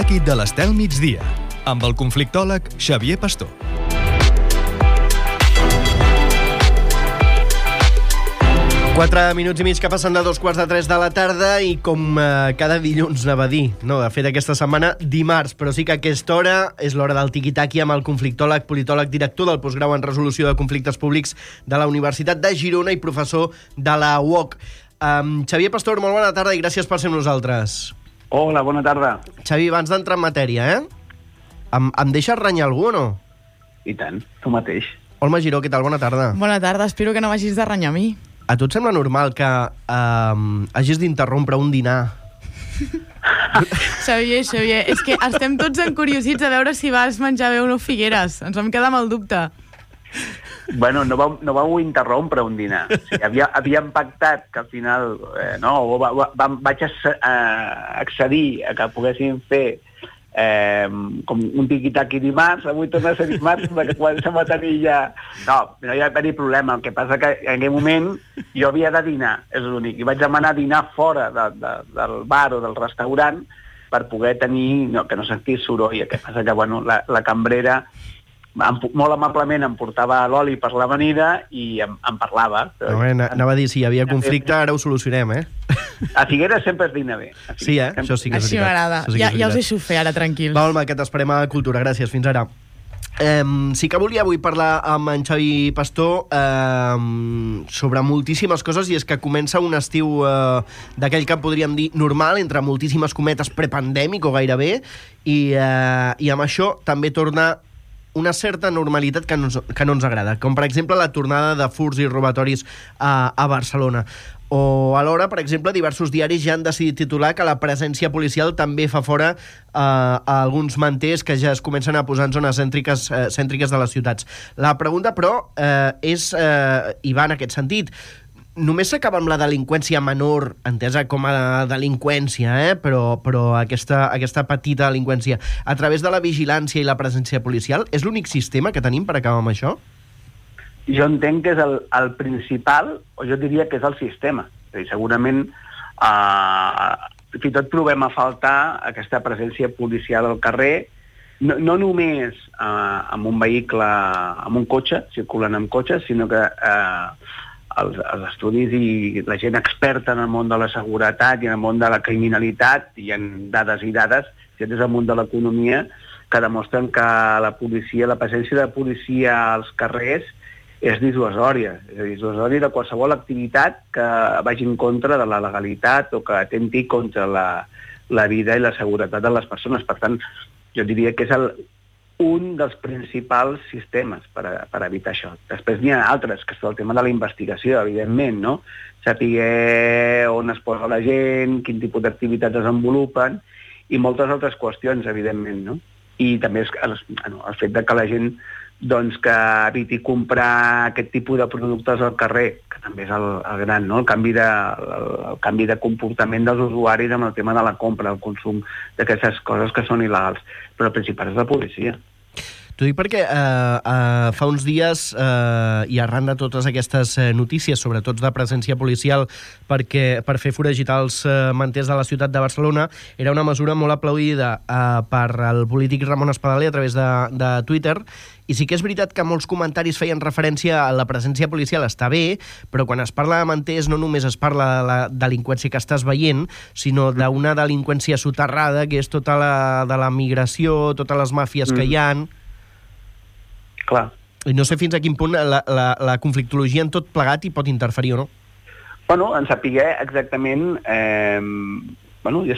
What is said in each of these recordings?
tiki-taki de l'Estel Migdia, amb el conflictòleg Xavier Pastor. Quatre minuts i mig que passen de 2:45 de la tarda i com cada dilluns anava a dir, no, de fet aquesta setmana dimarts, però sí que a aquesta hora és l'hora del tiki-taki amb el conflictòleg, politòleg, director del postgrau en resolució de conflictes públics de la Universitat de Girona i professor de la UOC. Xavier Pastor, molt bona tarda i gràcies per ser amb nosaltres. Hola, bona tarda. Xavi, abans d'entrar en matèria, em deixes renyar algú o no? I tant, tu mateix. Olma Giró, què tal? Bona tarda. Bona tarda, espero que no m'hagis de renyar a mi. A tu et sembla normal que hagis d'interrompre un dinar? Xavier, és que estem tots encuriosits a veure si vas menjar bé o no Figueres. Ens vam quedar amb el dubte. Bueno, no vau interrompre un dinar. O sigui, havíem pactat que al final vaig accedir a que poguéssim fer com un tiqui-taqui dimarts, avui torna a ser dimarts, perquè comencem a tenir ja... No hi va haver problema, el que passa que en aquell moment jo havia de dinar, és l'únic, i vaig demanar dinar fora del bar o del restaurant per poder tenir, que no sentís soroll. El que passa que la cambrera molt amablement em portava l'oli per l'amanida i em parlava. Anava a dir, si hi havia conflicte, ara ho solucionem, A Figueres sempre es dina bé. Sí, això sí que és veritat. Així m'agrada. Ja us deixo fer, ara, tranquils. Va, Olma, que t'esperem a Cultura. Gràcies, fins ara. Sí que volia avui parlar amb en Xavi Pastor sobre moltíssimes coses, i és que comença un estiu d'aquell que podríem dir normal, entre moltíssimes cometes, prepandèmic o gairebé, i amb això també torna una certa normalitat que no ens agrada, com per exemple la tornada de furts i robatoris a Barcelona. O alhora, per exemple, diversos diaris ja han decidit titular que la presència policial també fa fora a alguns manters que ja es comencen a posar en zones cèntriques de les ciutats. La pregunta, però, i va en aquest sentit, només s'acaba amb la delinqüència menor, entesa com a delinqüència, però aquesta petita delinqüència, a través de la vigilància i la presència policial, és l'únic sistema que tenim per acabar amb això? Jo entenc que és el principal, o jo diria que és el sistema. És a dir, segurament, fins i tot trobem a faltar aquesta presència policial al carrer, no només amb un vehicle, amb un cotxe, circulant amb cotxes, sinó que els estudis i la gent experta en el món de la seguretat i en el món de la criminalitat, hi ha dades i dades, des del món de l'economia, que demostren que la presència de policia als carrers és dissuasòria. És a dir, dissuasòria de qualsevol activitat que vagi en contra de la legalitat o que atenti contra la vida i la seguretat de les persones. Per tant, jo diria que és un dels principals sistemes per evitar això. Després n'hi ha altres, que és el tema de la investigació, evidentment, no? Saber on es posa la gent, quin tipus d'activitats desenvolupen, i moltes altres qüestions, evidentment, no? I també el fet de que la gent que eviti comprar aquest tipus de productes al carrer, que també és el gran, no? El canvi de comportament dels usuaris amb el tema de la compra, el consum d'aquestes coses que són il·legals. Però el principal és la policia. T'ho dic perquè fa uns dies, i arran de totes aquestes notícies, sobretot de presència policial per fer foragitar els manters de la ciutat de Barcelona, era una mesura molt aplaudida per el polític Ramon Espadaler a través de Twitter, i sí que és veritat que molts comentaris feien referència a la presència policial, està bé, però quan es parla de manters no només es parla de la delinqüència que estàs veient, sinó d'una delinqüència soterrada, que és tota de la migració, totes les màfies que hi ha. Clar. I no sé fins a quin punt la conflictologia en tot plegat hi pot interferir o no. Bueno, en saber exactament, ja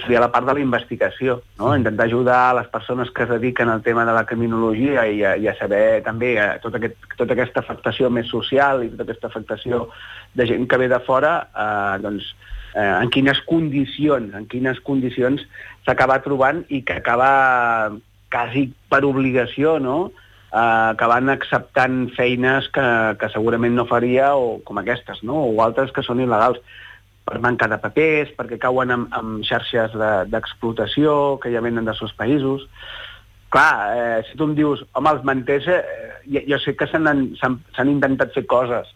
seria la part de la investigació, no? Intentar ajudar les persones que es dediquen al tema de la criminologia i a saber també tota aquesta afectació més social i tota aquesta afectació de gent que ve de fora, en quines condicions s'acaba trobant i que acaba quasi per obligació, no?, acabant acceptant feines que segurament no faria, o com aquestes, no?, o altres que són il·legals, per manca de papers, perquè cauen amb xarxes d'explotació que ja venen dels seus països. Clar, si tu em dius, home, els manters, jo sé que s'han intentat fer coses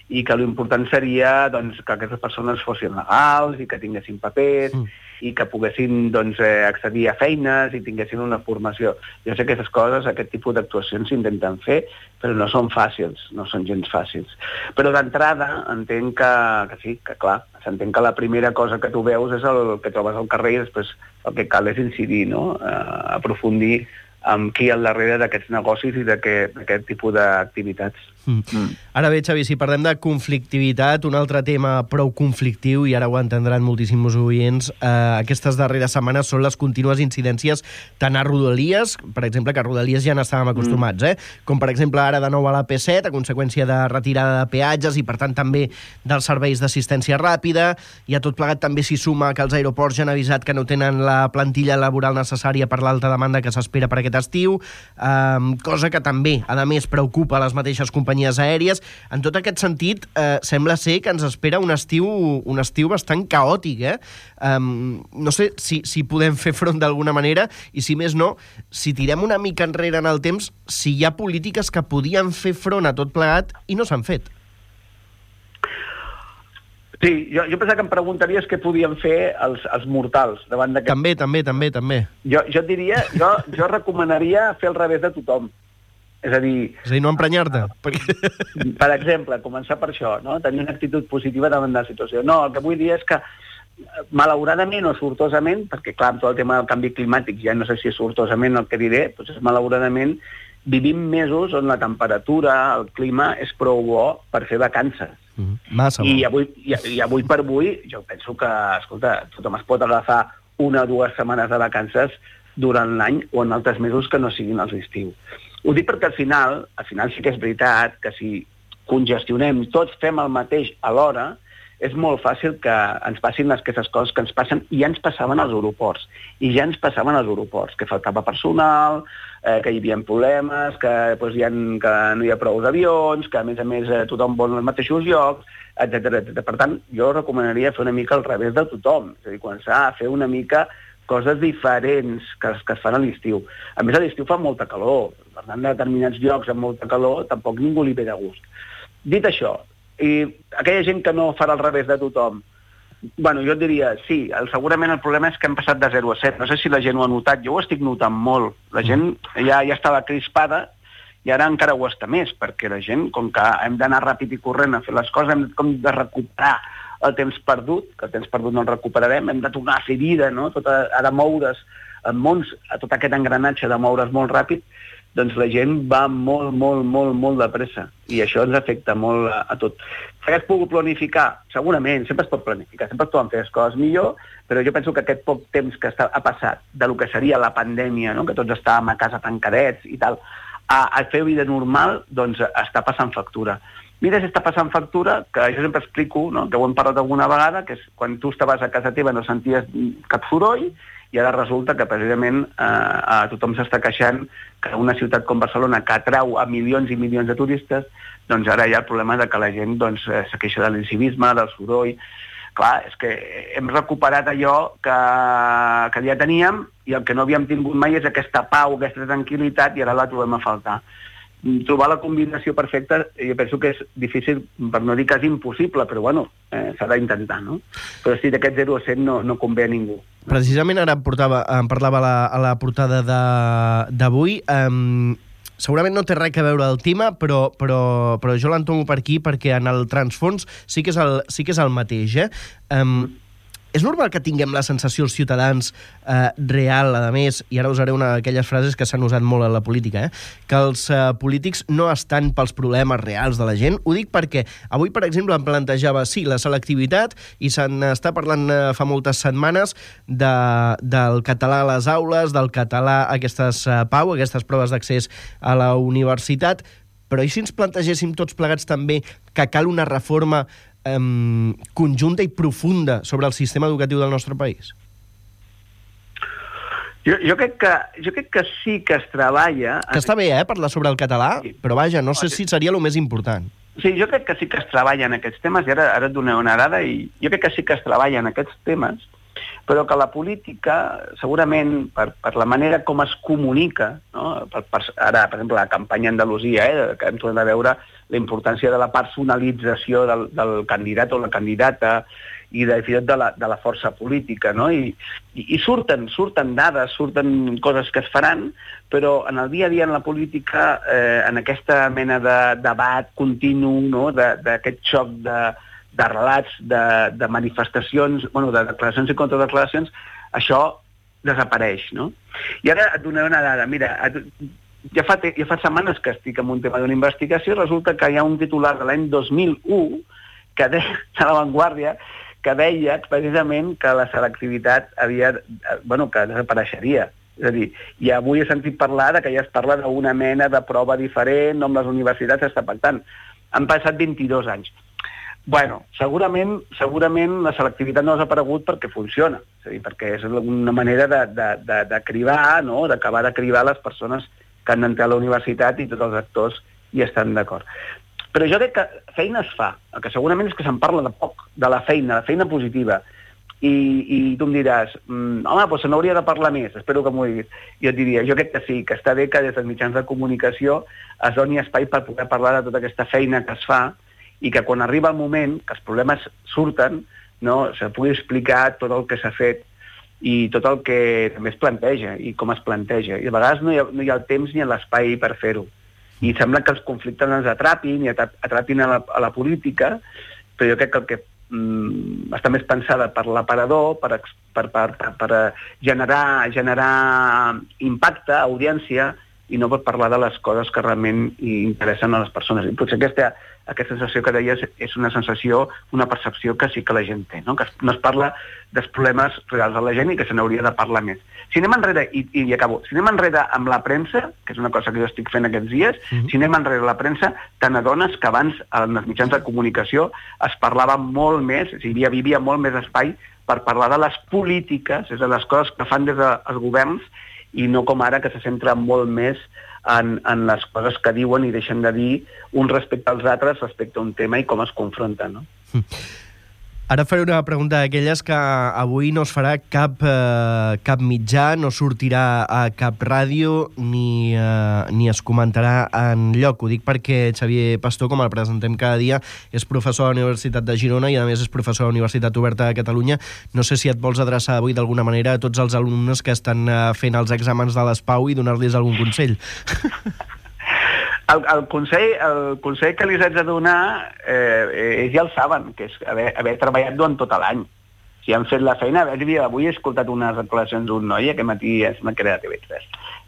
i que l'important seria doncs, que aquestes persones fossin legals i que tinguessin papers i que poguessin doncs, accedir a feines i tinguessin una formació. Jo sé que aquestes coses, aquest tipus d'actuacions s'intenten fer, però no són fàcils, no són gens fàcils. Però d'entrada entenc que sí, que clar, s'entén que la primera cosa que tu veus és el que trobes al carrer i després el que cal és incidir, no? Aprofundir amb qui hi ha al darrere d'aquests negocis i d'aquest tipus d'activitats. Ara bé, Xavi, si parlem de conflictivitat, un altre tema prou conflictiu, i ara ho entendran moltíssims oients, aquestes darreres setmanes són les contínues incidències tant a Rodalies, per exemple, que a Rodalies ja n'estàvem acostumats, com per exemple ara de nou a la P7, a conseqüència de retirada de peatges i per tant també dels serveis d'assistència ràpida, i a tot plegat també s'hi suma que els aeroports ja han avisat que no tenen la plantilla laboral necessària per l'alta demanda que s'espera per aquest estiu, cosa que també, a més, preocupa les mateixes companyies aèries. En tot aquest sentit, sembla ser que ens espera un estiu bastant caòtic, no sé si podem fer front d'alguna manera, i si més no, si tirem una mica enrere en el temps, si hi ha polítiques que podien fer front a tot plegat i no s'han fet. Sí, jo pensava que em preguntaries què podien fer els mortals davant d'aquest... També. Jo diria, jo recomanaria fer al revés de tothom. És a dir, no emprenyar-te. Per exemple, començar per això, no? Tenir una actitud positiva davant de la situació. No, el que vull dir és que, malauradament o sortosament, perquè clar, amb tot el tema del canvi climàtic, ja no sé si és sortosament el que diré, doncs malauradament vivim mesos on la temperatura, el clima, és prou bo per fer vacances. Massa bo. I avui per avui, jo penso que, escolta, tothom es pot agafar 1 o 2 setmanes de vacances durant l'any o en altres mesos que no siguin els d'estiu. Ho dic perquè al final sí que és veritat que si congestionem, tots fem el mateix alhora, és molt fàcil que ens passin aquestes coses que ens passen i ja ens passaven als aeroports. Que faltava personal, que hi havia problemes, que no hi ha prou avions, que a més tothom vol els mateixos llocs, etc. Per tant, jo recomanaria fer una mica al revés de tothom, és a dir, començar a fer una mica coses diferents que es fan a l'estiu. A més, a l'estiu fa molta calor. Per tant, en determinats llocs amb molta calor tampoc ningú li ve de gust. Dit això, i aquella gent que no farà al revés de tothom, bueno, jo et diria, sí, segurament el problema és que hem passat de 0 a 7. No sé si la gent ho ha notat, jo ho estic notant molt. La gent ja estava crispada i ara encara ho està més, perquè la gent, com que hem d'anar ràpid i corrent a fer les coses, hem com de recuperar el temps perdut, que el temps perdut no el recuperarem, hem de tornar a fer vida, no? Ha de moure's en mons, a tot aquest engranatge de moure's molt ràpid, doncs la gent va molt de pressa, i això ens afecta molt a tot. Que es pugui planificar? Segurament, sempre es pot planificar, sempre es poden fer les coses millor, però jo penso que aquest poc temps que ha passat de lo que seria la pandèmia, no? Que tots estàvem a casa tancadets i tal, a fer vida normal, doncs està passant factura. Mira si està passant factura, que jo sempre explico, no? Que ho hem parlat alguna vegada, que és quan tu estaves a casa teva no senties cap soroll, i ara resulta que precisament tothom s'està queixant que una ciutat com Barcelona, que atrau a milions i milions de turistes, doncs ara hi ha el problema de que la gent se queixa de l'incivisme, del soroll. Clar, és que hem recuperat allò que ja teníem i el que no havíem tingut mai és aquesta pau, aquesta tranquil·litat, i ara la trobem a faltar. Trobar la combinació perfecta jo penso que és difícil, per no dir que és impossible, però bueno, s'ha d'intentar, no? Però sí, d'aquest 0 a 100 no convé a ningú. Precisament ara em parlava a la portada d'avui, segurament no té res a veure el tema, però jo l'entomo per aquí perquè en el transfons sí que és el mateix, És normal que tinguem la sensació els ciutadans real, a més, i ara usaré una d'aquelles frases que s'han usat molt en la política, que els polítics no estan pels problemes reals de la gent. Ho dic perquè avui, per exemple, em plantejava, sí, la selectivitat, i se n'està parlant fa moltes setmanes del català a les aules, del català a aquestes PAU, aquestes proves d'accés a la universitat, però i si ens plantegéssim tots plegats també que cal una reforma conjunta i profunda sobre el sistema educatiu del nostre país? Jo crec que sí que es treballa... Que està bé, parlar sobre el català, sí. Però vaja, no sé si seria el més important. Sí, jo crec que sí que es treballa en aquests temes, i ara et donaré una dada, i jo crec que sí que es treballa en aquests temes, però que la política, segurament, per la manera com es comunica, no? Ara, per exemple, la campanya a Andalusia, que hem tornat a veure la importància de la personalització del candidat o la candidata i de la força política, no? I surten dades, surten coses que es faran, però en el dia a dia en la política, en aquesta mena de debat continu, no? D'aquest xoc de relats, de manifestacions, de declaracions i contradeclaracions, això desapareix, no? I ara et donaré una dada. Mira, ja fa setmanes que estic en un tema d'una investigació i resulta que hi ha un titular de l'any 2001 de La Vanguardia que deia precisament que la selectivitat que desapareixeria. És a dir, i avui he sentit parlar que ja es parla d'una mena de prova diferent amb les universitats està pactant. Han passat 22 anys. Bueno, segurament la selectivitat no ha desaparegut perquè funciona, és a dir, perquè és una manera de cribar, no? D'acabar de cribar les persones que han d'entrar a la universitat i tots els actors hi estan d'acord. Però jo crec que feina es fa, el que segurament és que se'n parla de poc, de la feina positiva. I tu em diràs, home, doncs se n'hauria de parlar més, espero que m'ho diguis. Jo et diria, jo crec que sí, que està bé que des dels mitjans de comunicació es doni espai per poder parlar de tota aquesta feina que es fa i que quan arriba el moment, que els problemes surten, no, se pugui explicar tot el que s'ha fet i tot el que també es planteja i com es planteja. I a vegades no hi ha el temps ni l'espai per fer-ho. I sembla que els conflictes ens atrapin i atrapin a la política, però jo crec que el que està més pensada per l'aparador, per generar impacte, audiència, i no per parlar de les coses que realment interessen a les persones. I potser aquesta sensació que deies és una sensació, una percepció que sí que la gent té, no? Que no es parla dels problemes reals de la gent i que se n'hauria de parlar més. Si anem enrere, i acabo, si anem enrere amb la premsa, que és una cosa que jo estic fent aquests dies, si anem enrere a la premsa, te n'adones que abans en els mitjans de comunicació es parlava molt més, és a dir, hi havia molt més espai per parlar de les polítiques, és a dir, les coses que fan des dels governs, i no com ara que se centra molt més en les coses que diuen i deixen de dir un respecte als altres, respecte a un tema i com es confronten, no? Ara faré una pregunta d'aquelles que avui no es farà cap mitjà, no sortirà a cap ràdio ni es comentarà en lloc. Ho dic perquè Xavier Pastor, com el presentem cada dia, és professor a la Universitat de Girona i a més és professor a la Universitat Oberta de Catalunya. No sé si et vols adreçar avui d'alguna manera a tots els alumnes que estan fent els exàmens de l'ESPAU i donar-los algun consell. El consell que li haig de donar, ells ja el saben, que és haver treballat durant tot l'any. Si han fet la feina, avui he escoltat unes declaracions d'un noi, aquest matí es m'ha creat a TV3,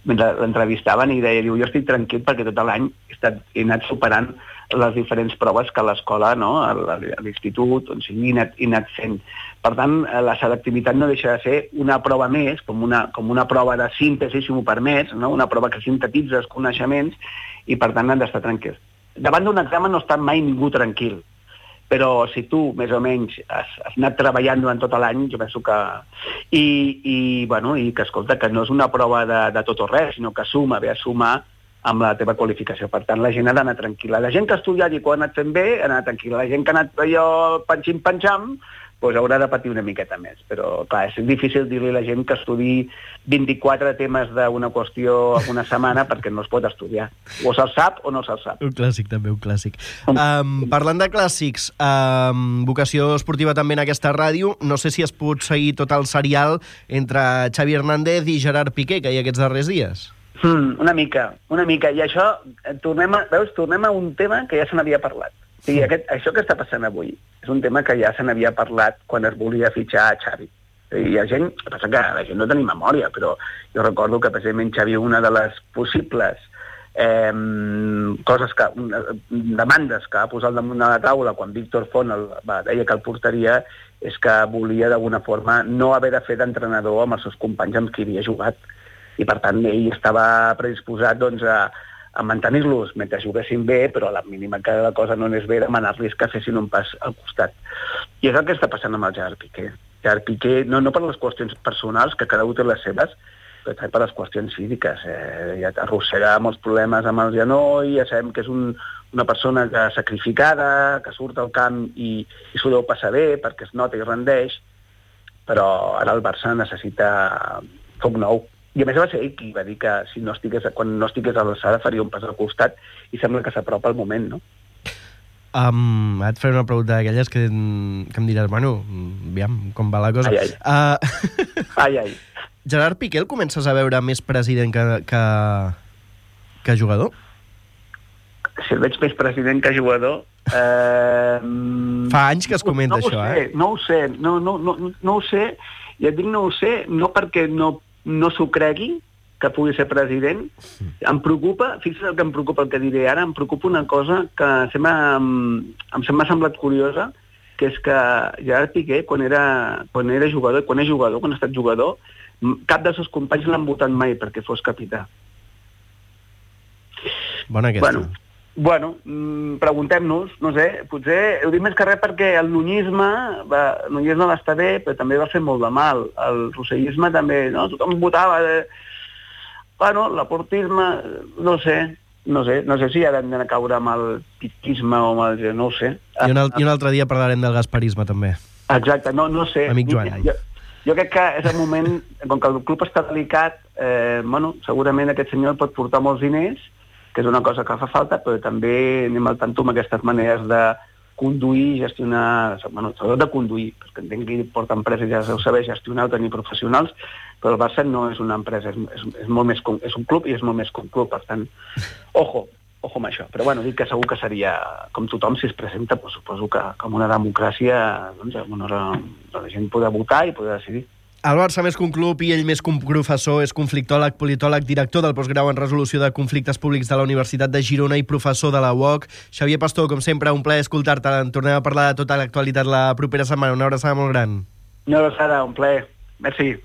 mentre l'entrevistaven i deia, jo estic tranquil perquè tot l'any he anat superant les diferents proves que a l'escola, no? A l'institut, on sigui, he anat fent. Per tant, la selectivitat no deixa de ser una prova més, com una prova de síntesi, si m'ho permets, no? Una prova que sintetitza els coneixements i, per tant, han d'estar tranquils. Davant d'un examen no està mai ningú tranquil, però si tu, més o menys, has anat treballant durant tot l'any, jo penso que... I que, escolta, que no és una prova de tot o res, sinó que ve a sumar amb la teva qualificació. Per tant, la gent ha d'anar tranquil·la. La gent que ha estudiat i que ho ha anat fent bé, ha anat tranquil·la. La gent que ha anat allò panxim-panxam, doncs haurà de patir una miqueta més. Però, clar, és difícil dir-li a la gent que estudi 24 temes d'una qüestió en una setmana perquè no es pot estudiar. O se'l sap o no se'l sap. Un clàssic, també, un clàssic. Parlant de clàssics, vocació esportiva també en aquesta ràdio, no sé si has pogut seguir tot el serial entre Xavi Hernández i Gerard Piqué, que hi ha aquests darrers dies. Una mica. I això, tornem a un tema que ja se n'havia parlat. O sigui, això que està passant avui és un tema que ja se n'havia parlat quan es volia fitxar a Xavi. I la gent no tenim memòria, però jo recordo que precisament Xavi, una de les possibles demandes que va posar al damunt de la taula quan Víctor Font deia que el portaria és que volia d'alguna forma no haver de fer d'entrenador amb els seus companys amb qui havia jugat. I per tant ell estava predisposat doncs, a mantenir-los mentre juguessin bé, però a la mínima que la cosa no anés bé, demanar-los que fessin un pas al costat. I és el que està passant amb el Gerard Piqué. Gerard Piqué, no per les qüestions personals, que cada un té les seves, però també per les qüestions físiques. Ja arrossega molts problemes amb el genoll, ja sabem que és una persona sacrificada, que surt al camp i s'ho deu passar bé perquè es nota i rendeix, però ara el Barça necessita foc nou. I a més va ser ell qui va dir que quan no estigués a l'alçada faria un pas al costat i sembla que s'apropa el moment, no? Et faré una pregunta d'aquelles que em diràs, bueno, aviam, com va la cosa. Ai. Gerard Piqué el comences a veure més president que jugador? Si el veig més president que jugador... Fa anys que es comenta això, No ho sé, no ho sé. I et dic no ho sé, no perquè no s'ho cregui, que pugui ser president. Em preocupa, fixa't el que em preocupa, el que diré ara, em preocupa una cosa que em m'ha semblat curiosa, que és que Gerard Piqué, quan era jugador, quan ha estat jugador, cap dels seus companys l'han votat mai perquè fos capità. Bona aquesta. Bueno, preguntem-nos, no sé, potser ho dic més que res perquè el nuñisme va estar bé, però també va fer molt de mal. El rossellisme també, no? Tothom votava... Bueno, l'aportisme, no sé si ara hem d'anar a caure amb el piquisme o amb el... no ho sé. I un altre dia parlarem del gasparisme, també. Exacte, no sé. Amic Joan. Jo crec que és el moment, com que el club està delicat, segurament aquest senyor pot portar molts diners, que és una cosa que fa falta, però també anem al tanto amb aquestes maneres de conduir, gestionar... sobretot de conduir, perquè entenc que porta empreses, ja ho saber gestionar o tenir professionals, però el Barça no és una empresa, és molt més és un club i és molt més que un club, per tant, ojo amb això. Però bueno, dic que segur que seria, com tothom, si es presenta, doncs suposo que com una democràcia, doncs, la gent podrà votar i podrà decidir. El Barça més que un club i ell més que un professor, és conflictòleg, politòleg, director del postgrau en resolució de conflictes públics de la Universitat de Girona i professor de la UOC. Xavier Pastor, com sempre, un plaer escoltar-te. En tornem a parlar de tota l'actualitat la propera setmana. Una abraçada molt gran. Una abraçada, un plaer. Merci.